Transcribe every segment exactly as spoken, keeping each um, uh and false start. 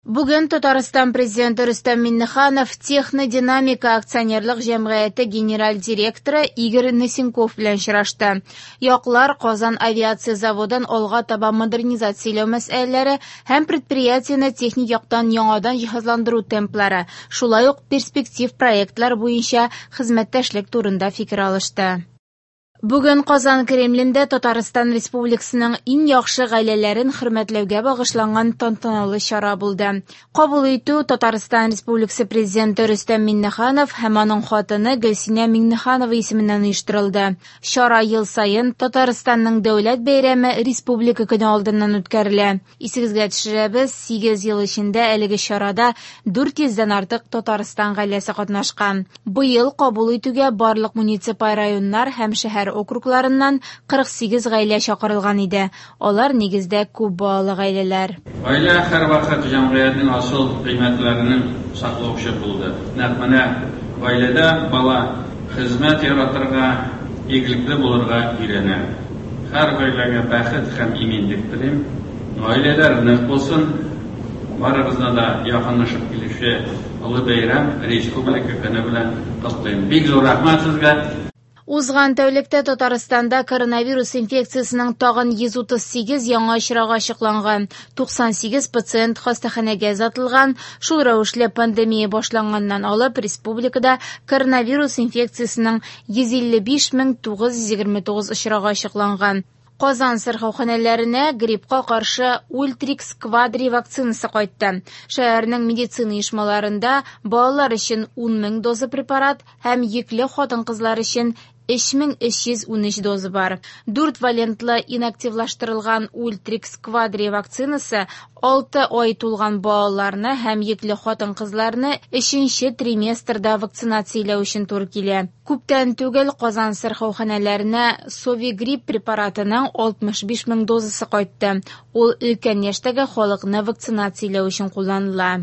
Бүген Татарстан Президенты Рөстәм Миңнеханов «Технодинамика» акционерлык җәмгыяте генераль директоры Игорь Носенков белән очрашты. Яклар Казан авиация заводын алга таба модернизацияләү мәсьәләләре һәм предприятиене техник яктан яңадан җиһазландыру темплары, шулай ук перспектив проектлар буенча хезмәттәшлек турында фикер алышты. Бүген Казан Кремлендә Татарстан Республикасының иң яхшы гаиләләрен хөрмәтләүгә багышланган тантаналы чара булды. Кабул итү Татарстан Республикасы Президенты Рөстәм Миңнеханов һәм аның хатыны Гөлсинә Миңнеханова исеменнән оештырылды. Чара ел саен Татарстанның дәүләт бәйрәме Республика көне алдыннан үткәрелә. Исегезгә төшерәбез, сигез ел эчендә әлеге чарада дүрт йөздән артык Татарстан гаиләсе катнашкан. Быел кабул итүгә барлык муниципаль районнар һәм шәһәр округларыннан кырык сигез гаилә чакырылган иде. Алар нигездә күп балалы гаиләләр. Гаилә һәрвакыт җәмгыятьнең асыл кыйммәтләренең саклаучы булды. Нәкъ менә гаиләдә бала хезмәт яратырга, игелекле булырга өйрәнә. Һәр гаиләгә бәхет һәм иминлек телим. Гаиләләр нык булсын. Барыгызны да якынлашып килүче олы бәйрәм Республика көне белән котлыйм. Бик зур рәхмәт сезгә. Узган тәүлектә Татарстанда коронавирус инфекциясенең тагын йөз утыз сигез яңа очрагы ачыкланган. Туксан сигез пациент хастаханәгә озатылган. Шул рәвешле пандемия башланганнан алып республикада коронавирус инфекциясенең йөз илле биш мең тугыз йөз егерме тугыз очрагы ачыкланган. Казан сырхауханәләренә гриппка каршы Ультрикс Квадри вакцинасы кайтты. Шәһәрнең медицина оешмаларында балалар өчен ун мең доза препарат һәм йөкле хатын-кызлар өчен өч мең өч йөз унөч доза бар. Дүрт валентлы инактивлаштырылган Ультрикс Квадри вакцинасы алты ай тулган балаларны һәм йөкле хатын-кызларны өченче триместрда вакцинацияләү өчен туры килә. Күптән түгел Казан сырхауханәләренә Совигрипп препаратының алтмыш биш мең дозасы кайтты. Ул өлкән яшьтәге халыкны вакцинацияләү өчен кулланыла.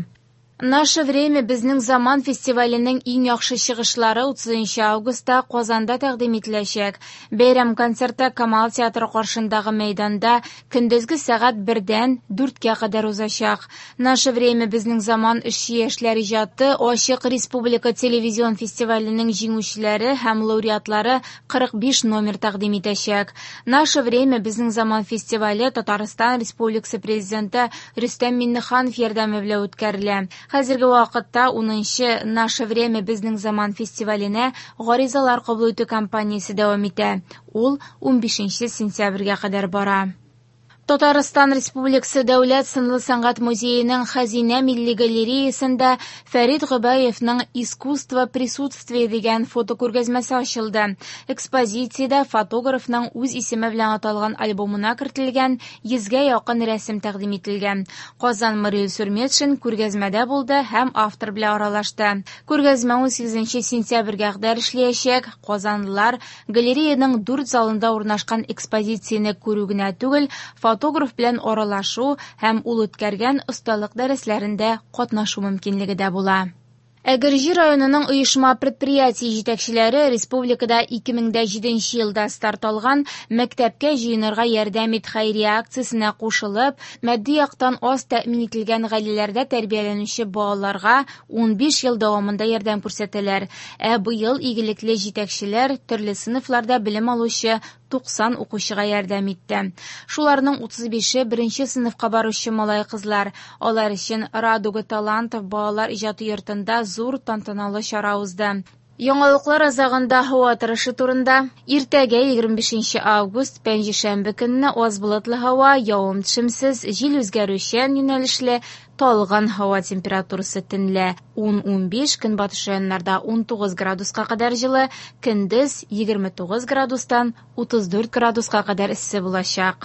Наше время безнең заман фестиваленең иң яхшы чыгышлары утызынчы августта Казанда тәкъдим ителәчәк. Бәйрәм концерты Камал театры каршындагы мәйданда көндезге сәгать бердән дүрткә кадәр узачак. Наше время безнең заман эшче яшьләр иҗаты ачык республика телевизион фестиваленең җиңүчеләре һәм лауреатлары кырык биш номер тәкъдим итәчәк. Наше время безнең заман фестивале Татарстан Республикасы Президенты Рөстәм Миңнеханов ярдәме белән үткәрелә. Хәзерге вакытта унынчы Наше время безнең заман фестиваленә гаризалар кабул итү кампаниясе дәвам итә. Ул унбишенче сентябрьгә кадәр бара. Татарстан Республикасы Дәүләт сынлы сәнгать музееның Хәзинә милли галереясында Фәрит Гобәевның Искусство присутствия дигән фотокүргәзмәсе ачылды. Экспозициядә фотографның үз исеме белән аталган альбомына кертелгән йөзгә якын рәсем тәкъдим ителгән. Казан мэры Илсур Метшин күргәзмәдә булды һәм автор белән аралашты. Күргәзмә унсигезенче сентябрьгә кадәр эшләячәк. Казанлылар галереяның дүрт залында урнашкан экспозицияне күрү генә түгел, фотограф белән аралашу һәм ул үткәргән осталык дәресләрендә катнашу мөмкинлеге дә була. Әгерҗе районының оешма предприятие җитәкчеләре республикада ике мең дә җиденче елда старт алган мәктәпкә җыенырга ярдәм ит хәйрия акциясенә кушылып, матди яктан аз тәэмин ителгән гаиләләрдә тәрбияләнүче балаларга унбиш ел дәвамында ярдәм күрсәтәләр. Ә быел игелекле җитәкчеләр төрле сыйныфларда белем алучы туксан укучыга ярдәм итте. Шуларның утыз бише беренче сыйныфка баручы малай-кызлар. Алар өчен Радуга талантов балалар иҗаты йортында зур тантаналы чара узды. Яңалыклар азагында һава торышы турында. Иртәгә егерме бишенче август пәнҗешәмбе көнне аз болытлы һава, явым-төшемсез, җил үзгәрүчән юнәлешле, талгын һава температурасы төнлә ун-унбиш, көнбатыш районнарда унтугыз градуска кадәр җылы, көндез егерме тугыз градустан утыз дүрт градуска кадәр эссе булачак.